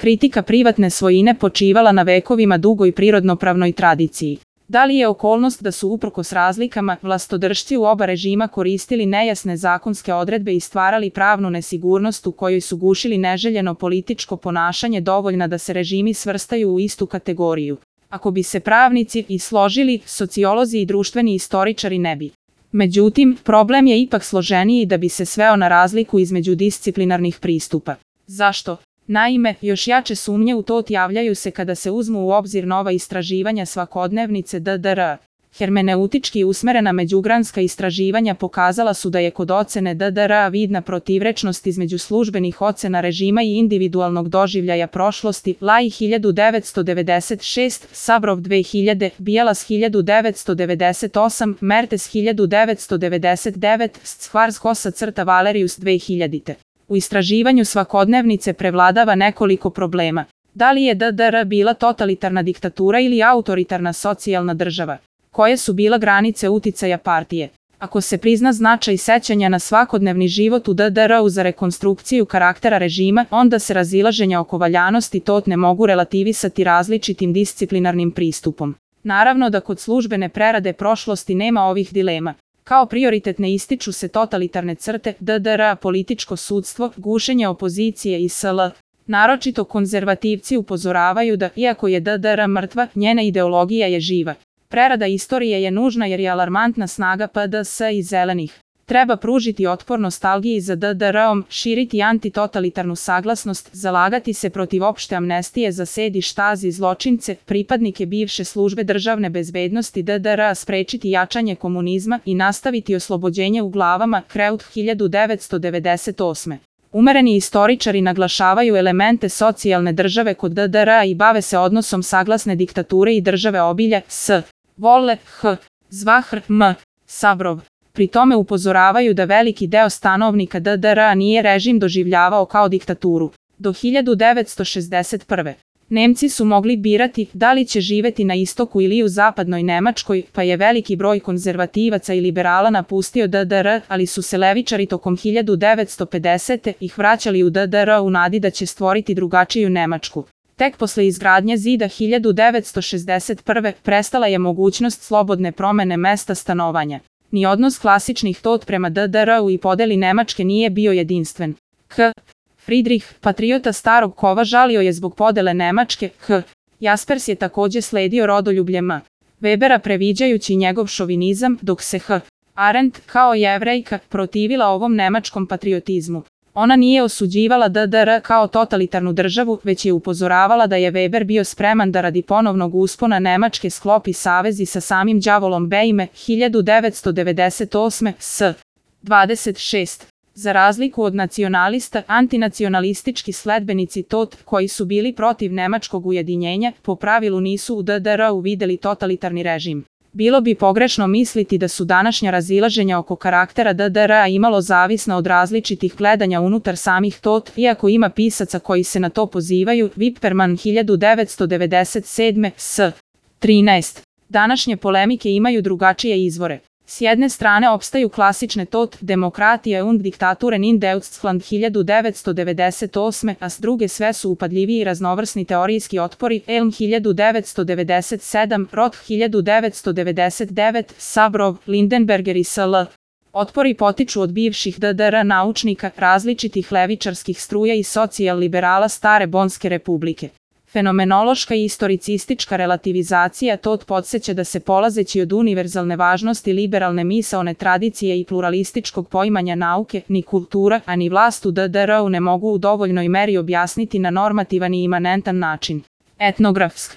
kritika privatne svojine počivala na vekovima dugoj prirodnopravnoj tradiciji. Da li je okolnost da su uprkos razlikama vlastodržci u oba režima koristili nejasne zakonske odredbe i stvarali pravnu nesigurnost u kojoj su gušili neželjeno političko ponašanje dovoljna da se režimi svrstaju u istu kategoriju? Ako bi se pravnici i složili, sociolozi i društveni istoričari ne bi. Međutim, problem je ipak složeniji da bi se sveo na razliku između disciplinarnih pristupa. Zašto? Naime, još jače sumnje u to javljaju se kada se uzmu u obzir nova istraživanja svakodnevnice DDR. Hermeneutički usmerena međugranska istraživanja pokazala su da je kod ocene DDR vidna protivrečnost između službenih ocena režima i individualnog doživljaja prošlosti. Lai 1996, Sabrov 2000, Bielas 1998, Mertes 1999, Schwarzkopf-Valerius 2000. U istraživanju svakodnevnice prevladava nekoliko problema. Da li je DDR bila totalitarna diktatura ili autoritarna socijalna država? Koje su bila granice uticaja partije? Ako se prizna značaj sećanja na svakodnevni život u DDR-u za rekonstrukciju karaktera režima, onda se razilaženja oko valjanosti tog ne mogu relativisati različitim disciplinarnim pristupom. Naravno da kod službene prerade prošlosti nema ovih dilema. Kao prioritetne ističu se totalitarne crte DDR, političko sudstvo, gušenje opozicije i sl. Naročito konzervativci upozoravaju da, iako je DDR mrtva, njena ideologija je živa. Prerada istorije je nužna jer je alarmantna snaga PDS i zelenih. Treba pružiti otpor nostalgiji za DDR-om, širiti antitotalitarnu saglasnost, zalagati se protiv opšte amnestije za Sedi Štazi zločince, pripadnike bivše službe državne bezbednosti DDR-a, sprečiti jačanje komunizma i nastaviti oslobođenje u glavama. Kreut 1998. Umereni istoričari naglašavaju elemente socijalne države kod DDR-a i bave se odnosom saglasne diktature i države obilja s. Volle, H. Zvahr, M. Sabrov. Pri tome upozoravaju da veliki deo stanovnika DDR-a nije režim doživljavao kao diktaturu. Do 1961. Nemci su mogli birati da li će živeti na istoku ili u zapadnoj Nemačkoj, pa je veliki broj konzervativaca i liberala napustio DDR, ali su se levičari tokom 1950. ih vraćali u DDR u nadi da će stvoriti drugačiju Nemačku. Tek posle izgradnje zida 1961. prestala je mogućnost slobodne promene mesta stanovanja. Ni odnos klasičnih tot prema DDR-u i podeli Nemačke nije bio jedinstven. K. Friedrich, patriota starog kova, žalio je zbog podele Nemačke. H. Jaspers je takođe sledio rodoljublje M. Webera previđajući njegov šovinizam, dok se H. Arendt, kao Jevrejka, protivila ovom nemačkom patriotizmu. Ona nije osuđivala DDR kao totalitarnu državu, već je upozoravala da je Weber bio spreman da radi ponovnog uspona Nemačke sklopi savezi sa samim đavolom Bejme 1998. s. 26. Za razliku od nacionalista, antinacionalistički sledbenici TOT, koji su bili protiv nemačkog ujedinjenja, po pravilu nisu u DDR-u videli totalitarni režim. Bilo bi pogrešno misliti da su današnja razilaženja oko karaktera DDR-a imalo zavisna od različitih gledanja unutar samih TOT, iako ima pisaca koji se na to pozivaju. Wipperman 1997. s. 13. Današnje polemike imaju drugačije izvore. S jedne strane opstaju klasične TOT, demokratija und Diktaturen in Deutschland 1998, a s druge sve su upadljiviji i raznovrsni teorijski otpori. Elm 1997, Roth 1999, Sabrov, Lindenberger i sl. Otpori potiču od bivših DDR naučnika, različitih levičarskih struja i socijal-liberala stare Bonske republike. Fenomenološka i istoricistička relativizacija TOT podsjeća da se polazeći od univerzalne važnosti liberalne misaone tradicije i pluralističkog poimanja nauke, ni kultura, a ni vlast u DDR-u ne mogu u dovoljnoj meri objasniti na normativan i imanentan način. Etnografsk.